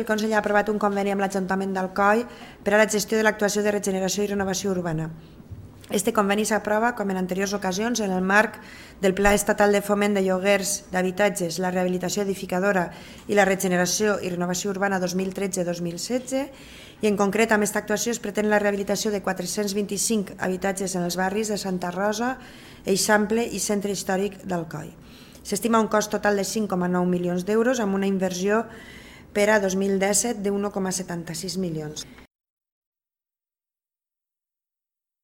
El Consell ha aprovat un conveni amb l'Ajuntament d'Alcoi per a la gestió de l'actuació de regeneració i renovació urbana. Este conveni s'aprova, com en anteriors ocasions, en el marc del Pla Estatal de Foment de Lloguers d'Habitatges, la Rehabilitació Edificadora i la Regeneració i Renovació Urbana 2013-2016, i en concret amb aquesta actuació es pretén la rehabilitació de 425 habitatges en els barris de Santa Rosa, Eixample i Centre Històric d'Alcoi. S'estima un cost total de 5,9 milions d'euros amb una inversió per a 2017 de 1,76 milions.